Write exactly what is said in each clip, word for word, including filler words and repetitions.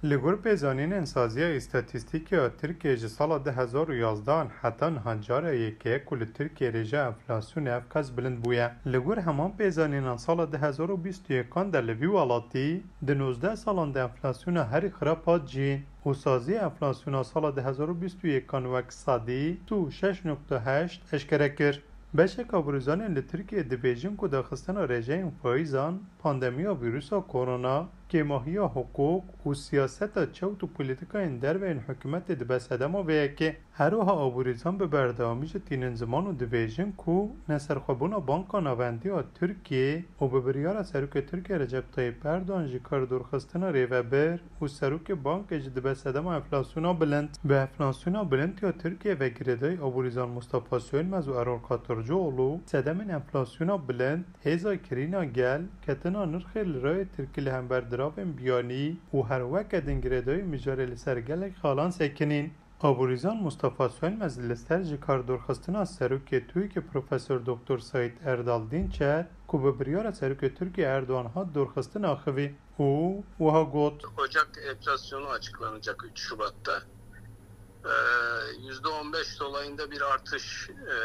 Li gor pêzanînên Saziya Îstatîstîkê ya Tirkiyê ji sala du hezar û yazdehan heta niha cara yekê ku li Tirkiyê rêja enflasyonê ev qas bilind bûye. Li gor heman pêzanînan sala du hezar û bîst û yekan de li vî welatî di nozdeh salan de enflasyona herî xirab hat cî û saziya enflasyona sala du hezar û bîst û yekan wek sedî sî û şeş nokte heşt eşkere kir. Beşek aborîzanên li Tirkiyê dibêjin ku daxistina rêjeyên faîzan, pandemiya vîrusa korona, kêmahiya hiqûq û siyaseta çewt û polîtîkayên derve yên hikûmetê dibe sedema vê yekê. Her wiha aborîzan bi berdewamî jî tînin ziman û dibêjin ku neserxwebûna Banka Navendî ya Tirkiyê û bi biryara Serokê Tirkiyê Recep Tayyip Erdogan ji kar dorxistina rêvebir û Serokê Bankê jî dibe sedema enflasyona bilind. Bi enflasyona bilind ya Tirkiyê ve girêdayî aborîzan Mustafa Sönmez û Erol Katırcıoğlu sedemên enflasyona bilind, hêza kirîna gel, ketina nirxê lirayê tirkî li hember diravên biyanî û her weke din girêdayî mijarê li ser gelek xalan sekinîn. Aborîzan Mustafa Sönmez li ser ji kar dorxistina serokê TUYKê Profesor Doktor Saîd Erdal Dinçer ku bi biryara serokê Tirkiyê Erdogan hat dorxistin axivî û wiha got: Ocak enflasyonu açıklanacak üç Şubat'ta. Ee, yüzde on beş dolayında bir artış e,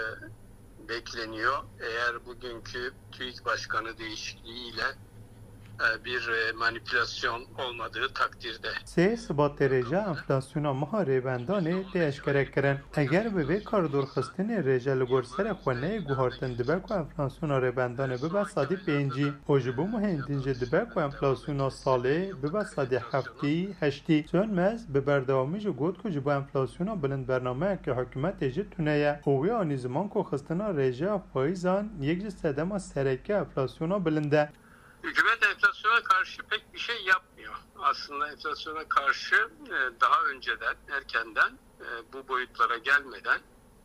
bekleniyor. Eğer bugünkü TÜİK Başkanı değişikliğiyle e, bir e, manipülasyon olmadığı takdirde. Sê Sibatê rêja enflasyona meha rêbendanê tê eşkere kirin. Eger bi vê kar dorxistinê rêje li gor serê xwe neyê guhartin, dibe ku enflasyona rêbendanê bibe sedî pêncî û ji bo mehên din jî dibe ku enflasyona salê bibe sedî heftî heştî. Sönmez bi berdewamî jî got ku ji bo enflasyona bilind bernameyeke hikûmetê jî tune ye û wê anî ziman ku xistina rêjeya faîzan yek ji sedema sereke enflasyona bilind e. Hükümet enflasyona karşı pek bir şey yapmıyor. Aslında enflasyona karşı e, daha önceden, erkenden, e, bu boyutlara gelmeden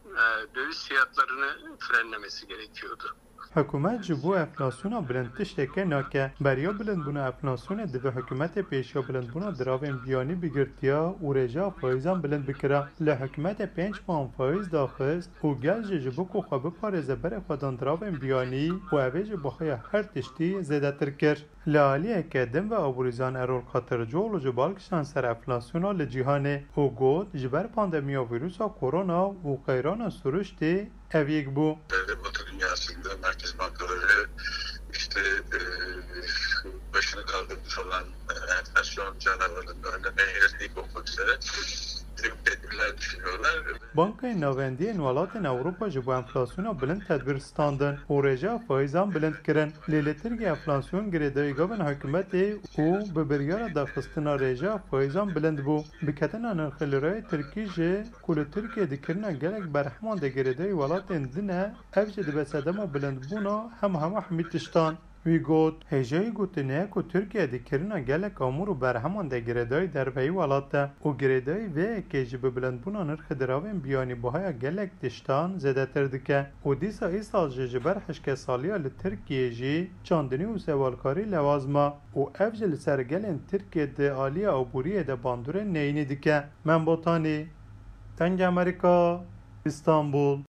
e, döviz fiyatlarını frenlemesi gerekiyordu. Hikûmet ji bo enflasyona bilind tişteke nake. Beriya bilindbûna enflasyonê divê hikûmetê pêşiya bilindbûna diravên biyanî bigirtiya û rêjeya faîzan bilind bikira. Lê hikûmetê pênc mehan faîz daxist û gel jî ji bo ku xwe biparêze berê xwe dan diravên biyanî û ev ê ji bihaya her tiştî zêdetir kir. Li aliyeke din ve aborîzan Erol Katırcıoğlu ji bal kişand ser enflasyona li cîhanê û got, ji ber pandemiya vîrusa korona û qeyrana siruştê ev yek bû. Batı dünyasında merkez bankaları işte e, başını kaldırmış olan e, enflasyon canavarının önlemeye yönelik olmak üzere bir tedbirler düşünüyorlar. Bankayên Navendî yên welatên Ewropa ji bo enflasyona bilind tedbîr standin û rêjeya faîzan bilind kirin. Lê li Tirkiyê enflasyon girêdayî gavên hikûmetê û bi biryara daxistina rêjeya faîzan bilind bû. Biketina nirxê lirayê tirkî jî ku li Tirkiyê di kirina gelek berheman de girêdayî welatên din e, ev jî dibe sedema bilindbûna hema hema hemî tiştan. Wî got, hêjayî gotinê ye ku Tirkiye di kirina gelek amûr û berheman de girêdayî derveyî welat e û girêdayî vê yekê jî bi bilindbûna nirxê diravên biyanî bihaya gelek tiştan zêdetir dike û dîsa îsal jî ji ber hişkesaliya li Tirkiyê jî çandinî û sewalkarî lewaz ma û ev jî li ser gelên Tirkiyê di aliya aboriyê de bandorên neyînî dike. Mem Botanî, Dengê Amerîka, Îstanbul.